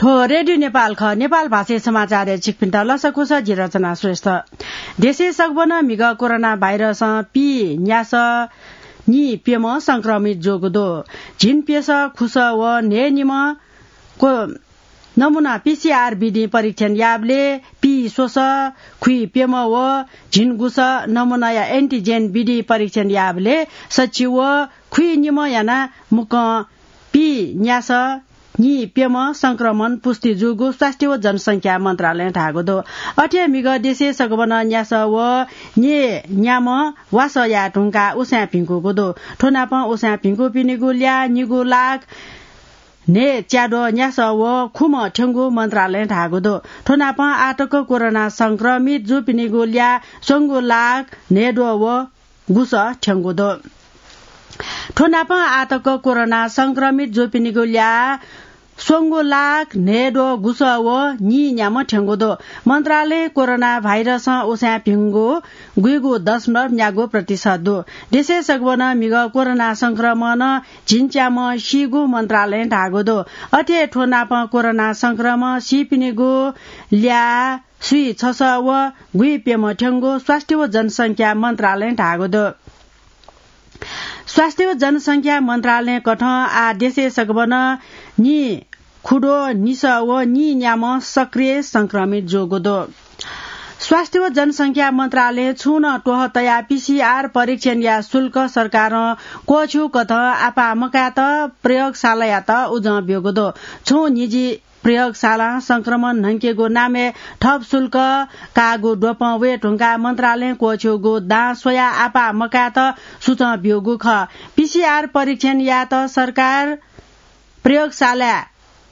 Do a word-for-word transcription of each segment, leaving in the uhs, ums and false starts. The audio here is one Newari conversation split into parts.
थ्व रेडियो नेपाल खः। नेपाल भाषाय् समाचारय् छिकपिन्त लसकुस, जि रचना श्रेष्ठ। देशय् सगबनं म्हिगः कोरोना भाइरसं पीन्यासः नीप्यम्ह संक्रमित जूगु दु। झिंप्यसः खुसः व न्हय्‌निम्ह को-, नमूना पीसीआर विधिं परीक्षण याःबलय् पीस्वसः खुइप्यम्ह व झिंगुसः नमूनाया एन्टिजेन विधिं परीक्षण याःबलय् सछि व खुइनिम्ह यानाः मुक्कं पीन्यासः नीप्यम्ह संक्रमण पुष्टि जूगु स्वास्थ्य व जनसंख्या मन्त्रालयं धाःगु दु। अथे हे म्हिगः देशय् सगबनं न्यासः व न्येन्याम्ह वासः याये धुंकाः उसाँय् भिंकूगु दु। थ्व नापं उसाँय् भिंकूपिनिगु ल्याः निगू लाख न्हय्‌च्याद्वः न्यासः व खुम्ह थ्यंगु मन्त्रालयं धाःगु दु। थ्व नापं आःतक कोरोना संक्रमित जूपिनिगु ल्याः स्वंगू लाख न्हय्‌द्वः व गुसः थ्यंगु दु। थ्व नापं आःतक कोरोना संक्रमित जूपिनिगु ल्याः स्वंगू लाख न्हय्‌द्वः गुसः व नीन्याम्ह थ्यंगु दु। मन्त्रालयं कोरोना भाइरसं उसाँय् भिंगु गुइगू दशमलव न्यागू प्रतिशत दु। देशय् सगबनं म्हिगः कोरोना संक्रमणं झिंच्याम्ह सीगु मन्त्रालयं धाःगु दु। अथे हे थ्व नापं कोरोना संक्रमणं सीपिनिगु ल्याः स्वीछसः व गुइप्यम्ह थ्यंगु स्वास्थ्य व जनसंख्या मन्त्रालयं धाःगु दु। स्वास्थ्य व जनसंख्या मन्त्रालयं कथं आः देशय् सगबनं नीखुद्वः निसः व नीन्याम्ह सक्रिय संक्रमित जूगु दु। स्वास्थ्य व जनसंख्या मन्त्रालयं छुं नं त्वहः तयाः पीसीआर परीक्षणया शुल्क सरकारं क्वःछ्यू कथं आपाः मकायेत प्रयोगशालायात उजं ब्यूगु दु। छुं निजी प्रयोगशालां संक्रमण न्हंकेगु नामय् थप शुल्क काःगु द्वपं वये धुंकाः मन्त्रालयं क्वःछ्यूगु दां स्वयाः आपाः मकायेत सुचं ब्यूगु खः। पीसीआर परीक्षण यायेत सरकार प्रयोगशालाय्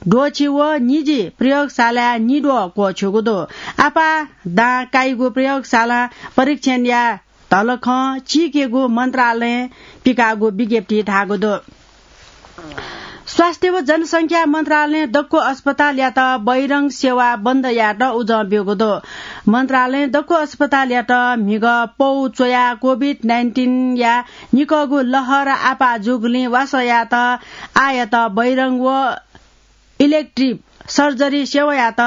द्वःछि व निजी प्रयोगशालाय् निद्वः क्वःछ्यूगु दु। आपाः दां काइगु प्रयोगशालां परीक्षण याये धलखं चीकेगु मन्त्रालयं पिकाःगु विज्ञप्तिइ धाःगु दु। स्वास्थ्य व जनसंख्या मन्त्रालयं दक्व अस्पतालयात बहिरंग सेवा बन्द यायेत उजं ब्यूगु दु। मन्त्रालयं दक्व अस्पतालयात म्हिगः पौ च्वयाः कोभिड नाइन्टिनया निकःगु लहर आपाः जूगुलिं वासः यायेत आःयात बहिरंग व इलेक्टिभ सर्जरी सेवायात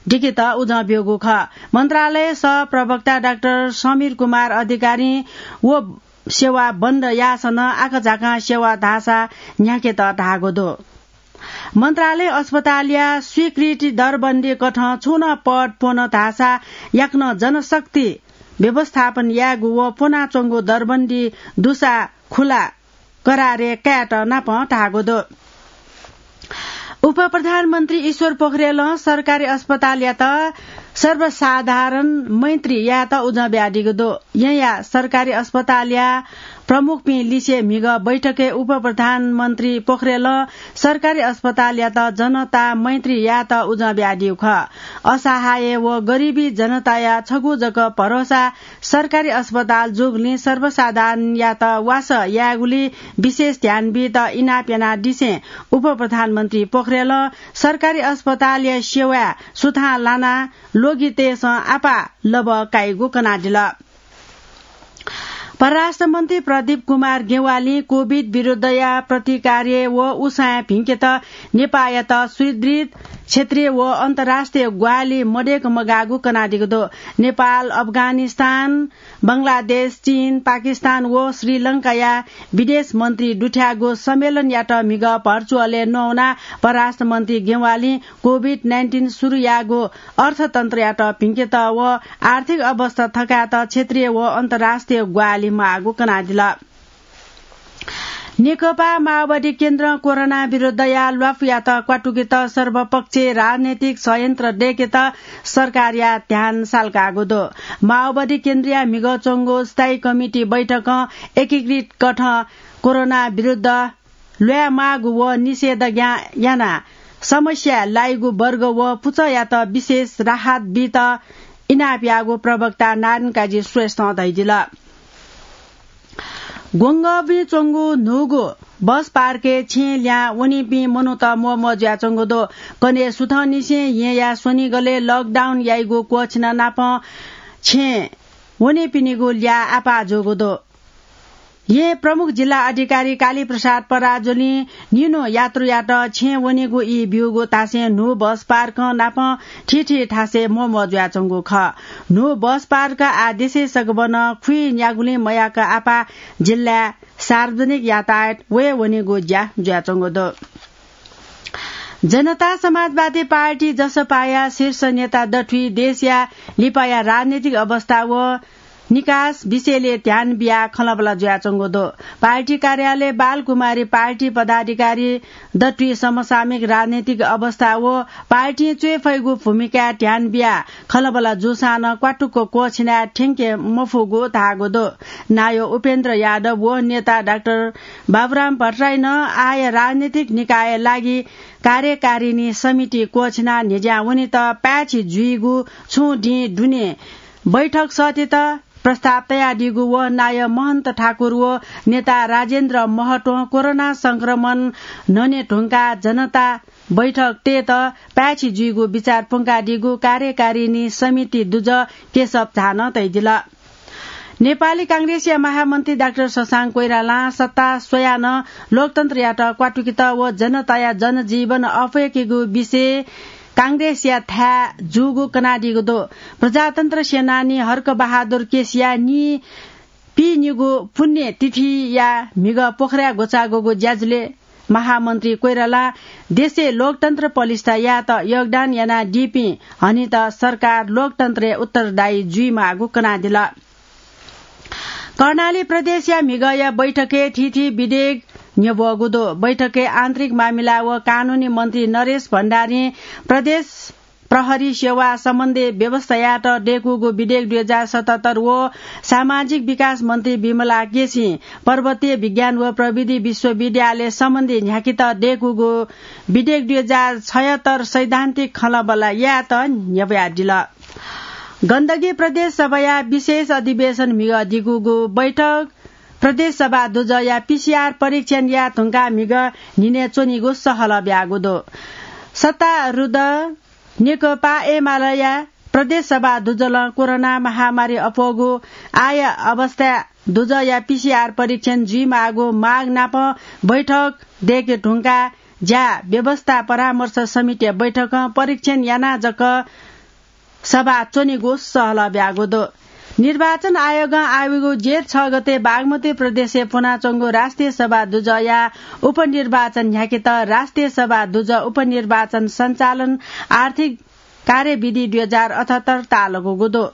दिकेत उजं ब्यूगु खः। मन्त्रालय सह प्रवक्ता डाक्टर समीर कुमार अधिकारीं व सेवा बन्द याःसां नं आकाझाकां सेवा धाःसा न्ह्याकेत धाःगु दु। मन्त्रालय अस्पतालया स्वीकृति दरबन्दी कथं छुं नं पद प्वन धाःसा याकनं जनशक्ति व्यवस्थापन यायेगु व प्वनाच्वंगु दरबन्दी दुसा खुला करारे कायेत नापं धाःगु दु। उपप्रधानमन्त्री ईश्वर पोखरेलं सरकारी अस्पतालयात सर्वसाधारण मैत्री यायेत उजं बियादीगु दु। येँया सरकारी अस्पतालया प्रमुखपिं लिसे म्हिगः बैठकय् उपप्रधानमन्त्री पोखरेलं सरकारी अस्पतालयात जनता मैत्री यायेत उजं बियादीगु खः। असहाय व गरिबी जनताया छगू जक भरोसा सरकारी अस्पताल जूगुलिं सर्वसाधारणयात वासः यायेगुलिइ विशेष ध्यान बीत इनाप यानादिसें उपप्रधानमन्त्री पोखरेलं सरकारी अस्पतालया सेवाय् सुथां लानाः लोगितय्‌सं आपाः लबः काइगु कनादिल। परराष्ट्र मन्त्री प्रदीप कुमार गेवालीं कोभिड विरुद्धया प्रतिकार्य व उसाँय् भिंकेत नेपाःयात सुदृढ क्षेत्रीय व अन्तर्राष्ट्रिय ग्वाहालि मदय्‌क मगाःगु कनादीगु दु। नेपाल, अफगानिस्तान, बंगलादेश, चीन, पाकिस्तान व श्रीलंकाया विदेश मन्त्री दुथ्याःगु सम्मेलनयात म्हिगः भर्चुअलय् नवानाः परराष्ट्र मन्त्री गेवालीं कोभिड नाइन्टिन सुरु याःगु अर्थतन्त्रयात भिंकेत व आर्थिक अवस्था थकायेत क्षेत्रीय व अन्तर्राष्ट्रिय ग्वाहालि माःगु कनादिल। नेकपा माओवादी केन्द्रं कोरोना विरुद्धया ल्वापुयात क्वातुकेत सर्वपक्षीय राजनैतिक षड्यन्त्र दय्‌केत सरकारया ध्यान साल्काःगु दु। माओवादी केन्द्रया म्हिगः च्वंगु स्थायी कमिटी बैठकं एकीकृत कथं कोरोना विरुद्ध ल्वायेमाःगु व निषेधाज्ञा यानाः समस्याय् लाइगु वर्ग व पुचःयात विशेष राहत बीत इनाप याःगु प्रवक्ता नारायण काजी श्रेष्ठं धयादिल। ग्वंगःबुँइ च्वंगु न्हूगु बस पार्कय् छेँय् लिहां वनीपिं मनूत म्वःम्वः जुयाच्वंगु दु। कन्हय् सुथंनिसें येँया स्वनिगलय् लकडाउन याइगु क्वःछिना नापं छेँय् वनीपिनिगु ल्याः आपाः जूगु दु। येँ प्रमुख जिल्ला अधिकारी कालीप्रसाद पराजुलिं निन्हु यात्रुयात छेँ वनेगु ई ब्यूगु थासय् न्हू बस पार्क नाप थीथी थासय् म्वःम्वः जुयाच्वंगु खः। न्हू बस पार्क आः देशय् सगबनं खुइ न्यागुलिं मयाक आपाः जिल्लाय् सार्वजनिक यातायात वये वनेगु ज्या जुयाच्वंगु दु। जनता समाजवादी पार्टी, जसपाया शीर्ष नेता दथुइ देशया लिपाया राजनीतिक अवस्था व निकास विषयले ध्यान बियाः खँल्हाबल्हा जुयाच्वंगु दु। पार्टी कार्यालय बालकुमारी पार्टी पदाधिकारी दथुइ समसामयिक राजनीतिक अवस्था व पार्टीं च्वये फइगु भूमिकाय् ध्यान बियाः खँल्हाबल्हा जूसां नं क्वातुक क्वःछिनाः थ्यंके मफुगु धाःगु दु। नायः उपेन्द्र यादव व नेता डाक्टर बाबुराम भट्टराई नं आःया राजनीतिक निकायया लागि कार्यकारिणी समिति क्वःछिनाः न्ह्यज्यां वनेत पाय्छि जुइगु छुं दिं दुने बैठक सःतेत प्रस्ताव तयादीगु व नायः महन्त ठाकुर व नेता राजेन्द्र महतों कोरोना संक्रमण न्हने धुंकाः जनता बैठक तयेत पाय्छि जुइगु बिचार प्वंकादीगु कार्यकारिणी समिति दुजः केशव झां नं तयादिल। नेपाली कांग्रेसया महामन्त्री डाक्टर शशांक कोइरालां सत्ता स्वयाः नं लोकतन्त्रयात क्वातुकेत व जनताया जनजीवन अप्वय्केगु विषय कांग्रेसया थाय् जूगु कनादीगु दु। प्रजातन्त्र सेनानी हर्क बहादुर केसीया नी पीनिगु पुण्यतिथिया म्हिगः पोखराय् ग्वचाःगु ज्याझ्वलय् महामन्त्री कोइरालां देशय् लोकतन्त्र पलिस्था यायेत योगदान यानादीपिं हनेत सरकार लोकतन्त्रय् उत्तरदायी जुइमाःगु कनादिल। कर्णाली प्रदेशया म्हिगःया बैठकय् थीथी विधेयक न्ह्यब्वःगु दु। बैठकय् आन्तरिक मामिला व कानूनी मन्त्री नरेश भण्डारीं प्रदेश प्रहरी सेवा सम्बन्धी व्यवस्थायात दय्कूगु विधेयक दुई हजार सतहत्तर व सामाजिक विकास मन्त्री विमला केसीं पर्वतीय विज्ञान व प्रविधि विश्वविद्यालय सम्बन्धी न्ह्याकेत दय्कूगु विधेयक दुई हजार छयत्तर सैद्धान्तिक खँल्हाबल्हा यायेत न्ह्यब्वयादिल। गण्डकी प्रदेश सभाया विशेष अधिवेशन म्हिगः दिगूगु बैठक प्रदेश सभा दुजःया पीसीआर परीक्षण याये धुंकाः म्हिगः न्हिनय् च्वनीगु सहलह ब्याःगु दु। सत्तारूढ नेकपा एमालेया प्रदेश सभा दुजलं कोरोना महामारी अप्वःगु आःया अवस्था दुजःया पीसीआर परीक्षण जुइमाःगु माग नाप बैठक दय्के धुंकाः ज्या व्यवस्था परामर्श समितिया बैठकं परीक्षण यानाः जक सभा च्वनीगु सहलह ब्याःगु दु। निर्वाचन आयोगं आःयागु जेठ छ गते बागमती प्रदेशय् फ्वनाच्वंगु राष्ट्रिय सभा दुजःया उपनिर्वाचन न्ह्याकेत राष्ट्रिय सभा दुजः उपनिर्वाचन सञ्चालन आर्थिक कार्यविधि दुई हजार अठहत्तर ताःलाकूगु दु।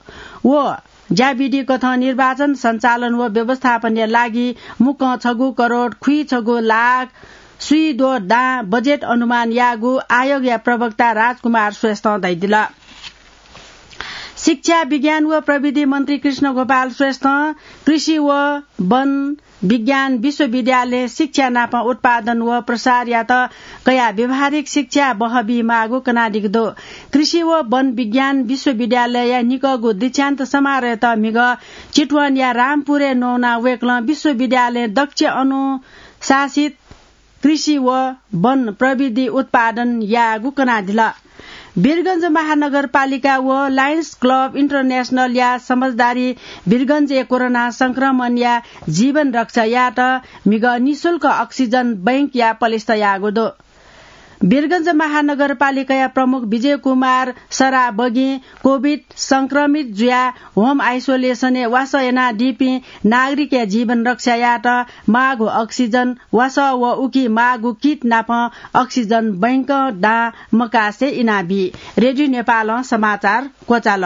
व ज्याविधि कथं निर्वाचन सञ्चालन व व्यवस्थापनया लागि मुक्कं छगू करोड खुइछगू लाख स्वीद्वः दां बजेट अनुमान याःगु आयोगया प्रवक्ता राजकुमार श्रेष्ठं धयादिल। शिक्षा, विज्ञान व प्रविधि मन्त्री कृष्णगोपाल श्रेष्ठं कृषि व वन विज्ञान विश्वविद्यालयं शिक्षा नाप उत्पादन व प्रसारयात कयाः व्यावहारिक शिक्षा बहःबीमाःगु कनादीगु दु। कृषि व वन विज्ञान विश्वविद्यालयया निकःगु दीक्षान्त समारोहयात म्हिगः चितवनया रामपुरय् नवानाः वय्कलं विश्वविद्यालयं दक्ष अनुशासित कृषि व वन प्रविधि उत्पादन याःगु कनादिल। वीरगंज महानगरपालिका व लायन्स क्लब इन्टरनेसनलया समझदारी वीरगंजय् कोरोना संक्रमणया जीवन रक्षा यायेत म्हिगः निशुल्क अक्सिजन बैंकया पलिस्था याःगु दु। वीरगंज महानगरपालिकाया प्रमुख विजय कुमार सराबगीं कोभिड संक्रमित जुयाः होम आइसोलेसनय् वासः यानादीपिं नागरिकया जीवन रक्षा यायेत माःगु अक्सिजन वासः व उकी माःगु किट नाप अक्सिजन बैंकं दां मकासे इनाबी। रेडियो नेपालं समाचार क्वचाल।